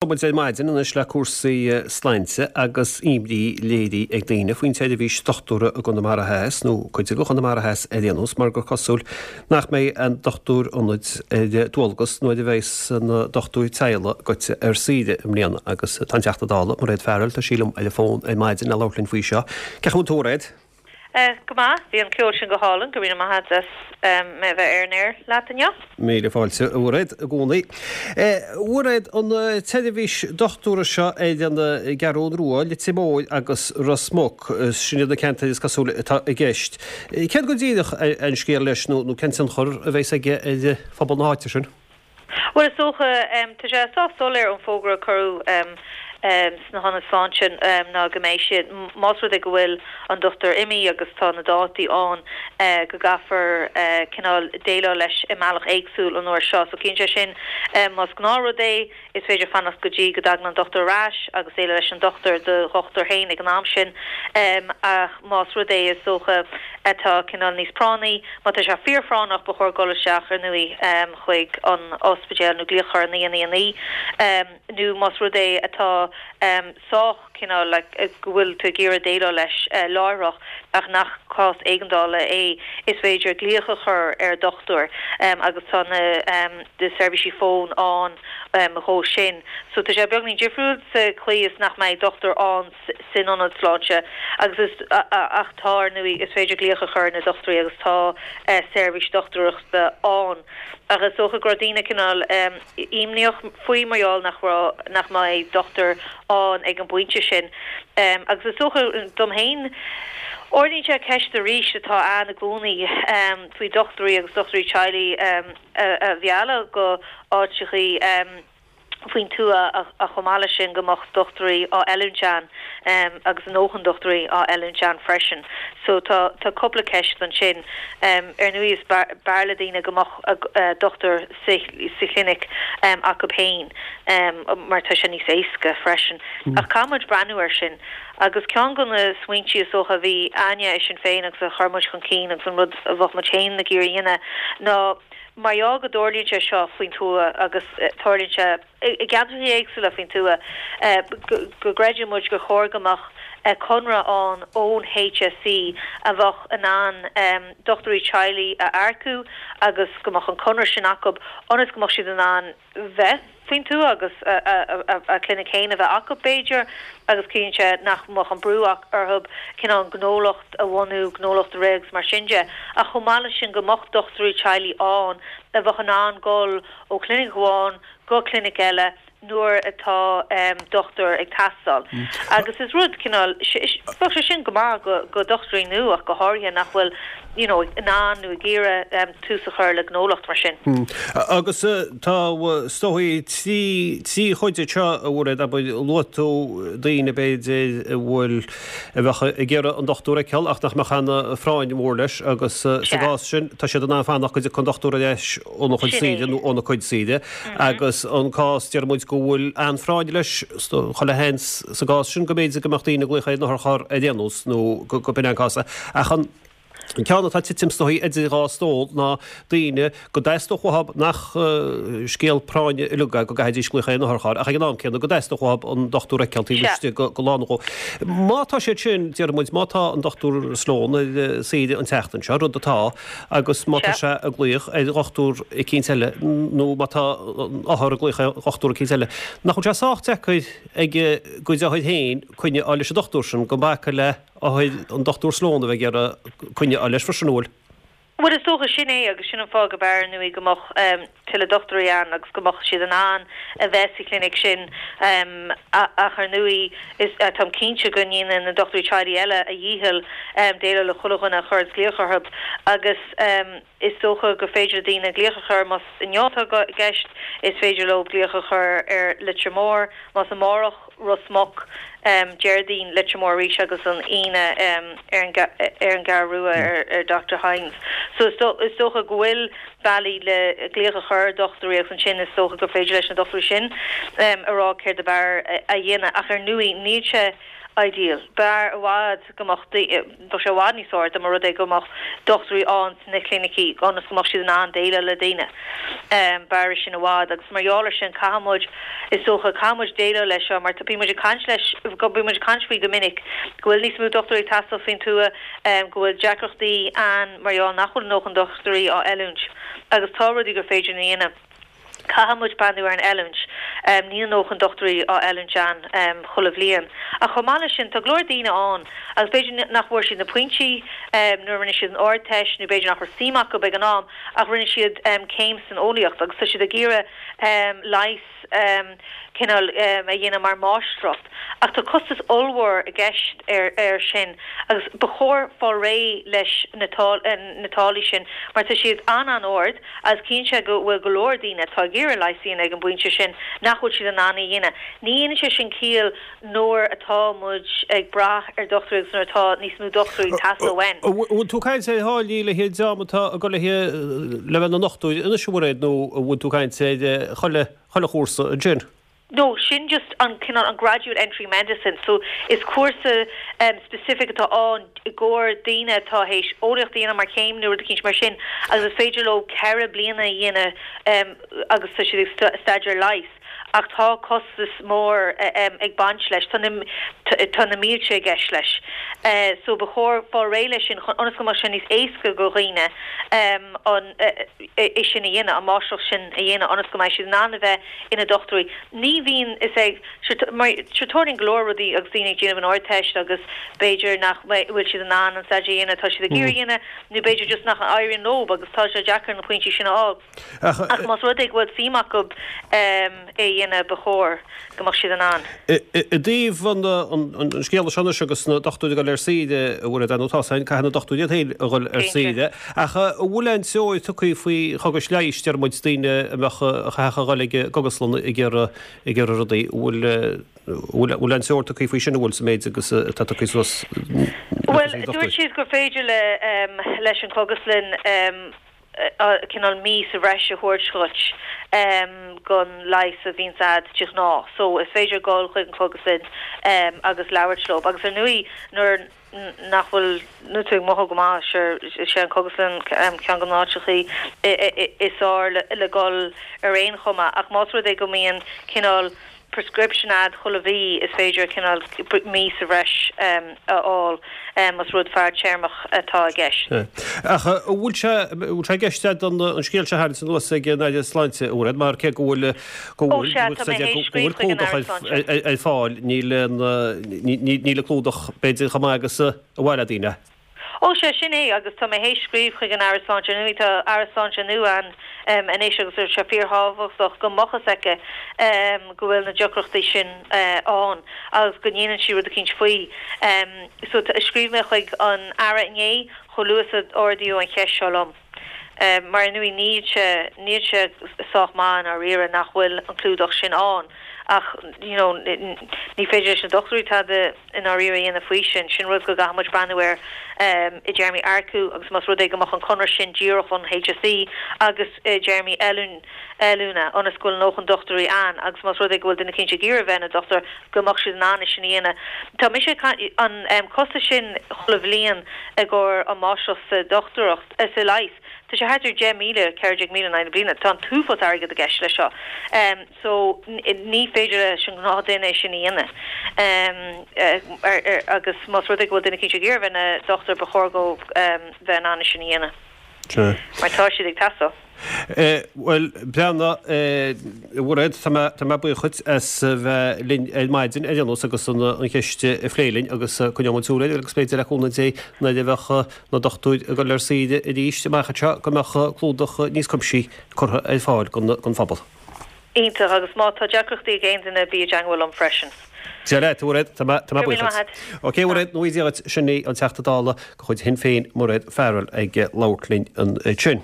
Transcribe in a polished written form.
Muid ar maidin anois le cúrsaí sláinte agus imní léirithe ag daoine faoin tseirbhís dochtúra i gConamara Theas, nó cuid de Chonamara Theas ar aon nós, mar gur cosúil nach mbeidh aon dochtúir ionaid ar dualgas nuair a bheas na dochtúirí teaghlaigh goite ar saoire i mbliana. Agus tá an Teachta Dála, Mairéad Farrell, tá sí liom ar an bhfón ar maidin le labhairt linn faoi seo. Cén chaoi a bhfuil tú, a Mhairéad? Go maith, bhí an ceol sin go hálainn, go raibh míle maith agat as mé a bheith ar an aer leat inniu. Míle fáilte, a Mhairéad, i gcónaí. A Mhairéad, an tseirbhís dochtúra seo ar an gCeathrú Rua, Leitir Móir agus Ros Muc, sin iad na ceantair is cosúil atá i gceist. Céard go díreach an scéal leis nó cén tionchar a bheas aige ar phobal na háite sin? Bhuel, is dócha, tá sé sách soiléir ón bhfógra a cuireadh sna hionaid sláinte ná go mbeidh siad, más rud é go bhfuil an dochtúir imithe agus tá na dátaí ann, go gcaithfear cineál déileáil leis i mbealach éagsúil an uair seo. So ciallaíonn sé sin, más gnáthrud é, is féidir fanacht go dtí go dtagann an dochtúir ar ais agus déileáil leis an dochtúir, do dhochtúir féin ag an am sin. Ach más rud é, is dócha, atá cineál níos práinní, má tá sé fíorphráinneach, ba chóir dul isteach, ar ndóigh, chuig an ospidéal nó glaoch a chur ar 999 nó más rud é atá sách cineál like go bhfuil tú ag iarraidh déileáil leis láithreach ach nach cás éigeandála é, is féidir glaoch a chur ar dhochtúir agus tá na seirbhísí fóin ann dhó sin. So tá sé beagnín difriúil sa chaoi is nach mbeidh dochtúir ann san ionad sláinte agus is ach tá, ar ndóigh, is féidir glaoch a chur ar na dochtúirí agus tá seirbhís dochtúireachta ann. Ach is dócha go raibh daoine cineál imníoch faoi mar gheall nach raibh, nach mbeidh dochtúir ann ag an bpointe sin. Agus is dócha dom féin, ardaíonn sé ceist arís atá ann i gcónaí faoi dochtúirí agus dochtúirí teaghlaigh a mhealladh go áiteachaí. faoin tuath ach chomh maith leis sin go mbeadh dochtúirí á oiliúint ann agus a ndóthain dochtúirí á oiliúint ann freisin. So tá tá cúpla ceist ansin. Ar ndóigh is b'fhearr le daoine go mbeadh dochtúir sa sa chlinic acu féin mar tá sé níos éasca freisin. Ach caithfidh muid breathnú air sin. Agus ceann de na smaointí is dócha a bhí a'inne i Sinn Féin agus a chuir muid chun cinn agus an rud a bheadh muid féin ag iarraidh a dhéanamh ná Mar gheall go dtarlaíonn sé seo faoin tuath agus tarlaíonn sé i gceantracha éagsúla faoin tuath, go gcreideann muid gur chóir go mbeadh conradh ann ón HSE a bheadh in ann dochtúirí teaghlaigh a earcú agus go mbeadh an conradh sin acu ionas go mbeadh siad in ann bheith faoin tuath agus a clinic féin a bheith acu, b'fhéidir, agus ciallaíonn sé nach mbeadh an brú orthu cineál gnólacht a bhunú, gnólacht a rith agus mar sin de. Ach chomh maith leis sin go mbeadh dochtúirí teaghlaigh ann a bheadh in ann dul ó chlinic amháin go clinic eile nuair atá dochtúir ag teastáil. Agus is rud cineál, bheadh sé sin go maith go dochtúirí nua ach go háirithe nach bhfuil you know, in ann nó ag iarraidh tús a chur le gnólacht mar sin. Agus tá, is dóigh, trí chuid anseo, a Mhairéad, abair, luaigh tú daoine, b'fhéidir, a bhfuil, a bheadh ag iarraidh an dochtúir a fheiceáil ach nach mbeadh aon phráinn mhór leis agus sa gcás sin, tá siad in ann fanacht go dtiocfaidh an dochtúir ar ais óna chuid saoire nó óna cuid saoire agus an cás, deir muid, go bhfuil an-phráinn leis, chuile sheans sa gcás sin go mb'fhéidir go mbeadh daoine ag glaoch ar an otharcharr ar aon nós nó go b'in é an cás. Ach an ceann atá ag titim is dóigh idir dhá stól ná daoine go dteastódh uathu nach scéal práinne uilig é go gcaithfidís glaoch ar an otharcharr ach ag an am céanna go dteastódh uathu an dochtúir a fheiceáil taobh istigh de lá nó dhó. Má tá siad sin, déarfaidh muid, má tá an Dr Sloane ar saoire an tseachtain seo, rud atá, agus má tá sé ag glaoch ar dhochtúir eicínt eile nó má tá an othar ag glaoch ar dhochtúir eicínt eile, nach bhfuil sé sách deacair ag a gcuid othair féin coinne a fháil leis an dochtúir sin gan bacadh le othair an Dr Sloane a bheith ag iarraidh coinne a fháil leis freisin, an bhfuil? Bhuel, is dócha, sin é agus sin an fáth go b'fhearr, ar ndóigh, go mbeadh tuilleadh dochtúirí ann agus go mbeadh siad in ann a bheith sa chlinic sin ach ar ndóigh, is, táim cinnte go ndéanann na dochtúirí teaghlaigh eile a dhícheall déileáil le chuile dhuine a chuireanns glaoch orthu agus is dócha gur féidir le daoine glaoch a chur más inniu atá i gceist, is féidir leo glaoch a chur ar Leitir Móir, más amárach. Ros Muc, Déardaoin, Leitir Móir arís agus an Aoine ar an gCeathrú Rua ar Doctor Hynes. So is dócha go bhfuil bealaí le glaoch a chur ar dhochtúirí agus ansin is dócha gur féidir leis na dochtúirí sin a rá céard ab fhearr a dhéanamh. Ach ar ndóigh níl sé. ideal. B'fhearr i bhfad go mbeadh, bheadh sé i bhfad níos fearr dá mba rud é go mbeadh dochtúirí ann sna clinicí ionas go mbeadh siad in ann déileáil le daoine. B'fhearr é sin i bhfad agus mar gheall ar sin caithfidh muid, is dócha, caithfidh muid déileáil leis seo mar bíonn muid ag caint leis, bíonn muid ag caint faoi go minic go bhfuil níos mó dochtúirí ag teastáil faoin tuath, go bhfuil deacrachtaí ann mar gheall nach bhfuil a ndóthain dochtúirí á oiliúint agus tá rudaí gur féidir a dhéanamh. Caithfidh muid breathnú ar an oiliúint. Níl a ndóthain dochtúirí á oiliúint ann chuile bhliain. Ach chomh maith leis sin, tá go leor daoine ann agus b'fhéidir nach bhfuair siad na pointí nuair a rinne siad an Ardteist nó b'fhéidir nach raibh suim acu ag an am ach rinne siad céim san eolaíocht agus tá siad ag iarraidh leigheas cineál a dhéanamh mar mháistreacht. Ach tá costas ollmhór i gceist air sin agus ba chóir fáil réidh leis na táillí sin mar tá siad an-an-ard agus ciallaíonn sé go bhfuil go leor daoine atá ag iarraidh leigheas a dhéanamh ag an bpointe sin nach bhfuil siad in ann é a dhéanamh. Ní dhéanann sé sin ciall nuair atá muid ag brath ar dochtúirí agus nuair atá níos mó dochtúirí ag teastáil uainn. An bhfuil tú ag caint ar tháillí le haghaidh an dream atá ag dul le haghaidh le bheith ina ndochtúir anois a Mhairéad nó an bhfuil tú ag caint ar chuile chuile chúrsa ansin? No, sin just an cineál an graduate entry medicine so is cúrsa specific atá ann i gcomhair daoine atá théis eolaíocht a dhéanamh mar chéim nó rud eicínt mar sin agus is féidir leo 4 bliana a dhéanamh agus tá siad ag staidéar leighis. Ach tá costas mór ag baint leis, tá na tá na mílte i gceist leis. So ba chóir fáil réidh leis sin chun ionas go mbeadh sé níos éasca go dhaoine an é sin a dhéanamh, an máistreacht sin a dhéanamh ionas go mbeidh siad in ann a bheith ina dochtúirí. Ní bhíonn is ag mar sure tarlaíonn go leor rudaí agus daoine ag déanamh an Ardteist agus b'fhéidir nach bhfuil siad in ann an staidéar a dhéanamh atá siad ag iarraidh a dhéanamh nó b'fhéidir just nach n-éiríonn leo agus tá sé deacair na pointí sin a fháil. Ach más rud é go bhfuil suim acu é a dhéanamh ba chóir go mbeadh siad in ann. I dtaobh an scéala seo anois agus na dochtúirí ag dul ar saoire, a Mhairéad, ar ndóigh tá san, caithfidh na dochtúirí iad féin a dhul ar saoire. Ach an bhfuil aon treoir tugtha faoi chogais leighis, deir muid, daoine a mbeadh, a chaithfeadh a dhul ag an gcogaslann ag iarraidh rudaí, an bhfuil, bhfuil aon treoir tugtha faoi sin, an bhfuil, sa méid agus atá tugtha suas le Bhuel, dúirt siad gur féidir le, leis an chógaslann, cineál mí sa bhreis a thabhairt dhuit gon leigheas a bhíonns a'd de ghnáth. So is féidir dhul chuig an chógaslann agus labhairt leo. Agus ar ndóigh nuair nach bhfuil, nuair tú ag mothú go maith, sure is é an cógaslann ceann de na háiteachaí is fearr le dhul ar aon chuma. Ach más rud é go mbíonn cineál prescription a'd chuile mhí, is féidir cineál mí sa bhreis a fháil más rud fadtéarmach atá i gceist. Ach an bhfuil sé, an bhfuil sé i gceist a'd an scéal seo a tharraingt anuas ag an Aire Sláinte, a Mhairéad, mar cé go bhfuil, go Ó bhfuil, sea, tá mé théis go bhfuil scríobh chuig an clúdach Aire Sláinte. ar fáil, níl an, níl an clúdach b'fhéidir chomh maith agus a ba mhaith le daoine. Ó sea, sin é, agus tá mé théis scríobh chuig an Aire Sláinte. Ar ndóigh, tá Aire Sláinte nua ann anois agus tá sé fíorthábhachtach go mbeadh fhios aici go bhfuil na deacrachtaí sin ann agus go ndéanann sí rud eicínt faoi. So, scríobh mé chuig an Aire inné, chomh luath is a ardaíodh an cheist seo liom. Mar ar ndóigh, níl sé, níl sé sách maith i ndáiríre nach bhfuil an clúdach sin ann ach, you know, ní féidir leis na dochtúirí tada, i ndáiríre a dhéanamh faoi sin. Sin rud go gcaithfidh muid breathnú air i dtéarmaí earcú agus más rud é go mbeadh an conradh sin díreach ón HSE agus i dtéarmaí oiliúna ionas go bhfuil a ndóthain dochtúirí ann agus más rud é go bhfuil duine eicínt ag iarraidh a bheith ina dochtúir go mbeadh siad in ann é sin a dhéanamh. Tá mise ag caint, an costas sin chuile bhliain i gcomhair an máistreacht sa dochtúireacht, sa leigheas, tá sé thart ar 10,000, 14,000 in aghaidh na bliana. Tá an t-uafás airgead i gceist leis seo. So, ní féidir leis an ngnáthdhuine é sin a dhéanamh. Agus más rud é go bhfuil duine eicínt ag iarraidh a bheith ina dhochtúir, ba chóir dhóibh bheith in ann é sin a dhéanamh. Mar tá siad ag teastáil. Bhuel, breathnaigh, a Mhairéad, tá mé, tá mé buíoch dhuit as bheith linn ar maidin ar aon nós agus an cheist a phlé linn agus coinneoidh muid súil air agus b'fhéidir le cúnamh Dé nuair a bheadh na dochtúirí ag dul ar saoire arís amach anseo go mbeadh clúdach níos cuimsithí curtha ar fáil don phobal. Iontach, agus má tá deacrachtaí ag aon duine bí i dteangmháil liom freisin. Dia leat, a Mhairéad, tá mé Go raibh buíoch míle maith dhuit. agat. Ok, a Mhairéad, go ngnóthaí Dia dhuit, sin í an Teachta Dála de chuid Shinn Féin, Mairéad Farrell, ag labhairt linn ansin.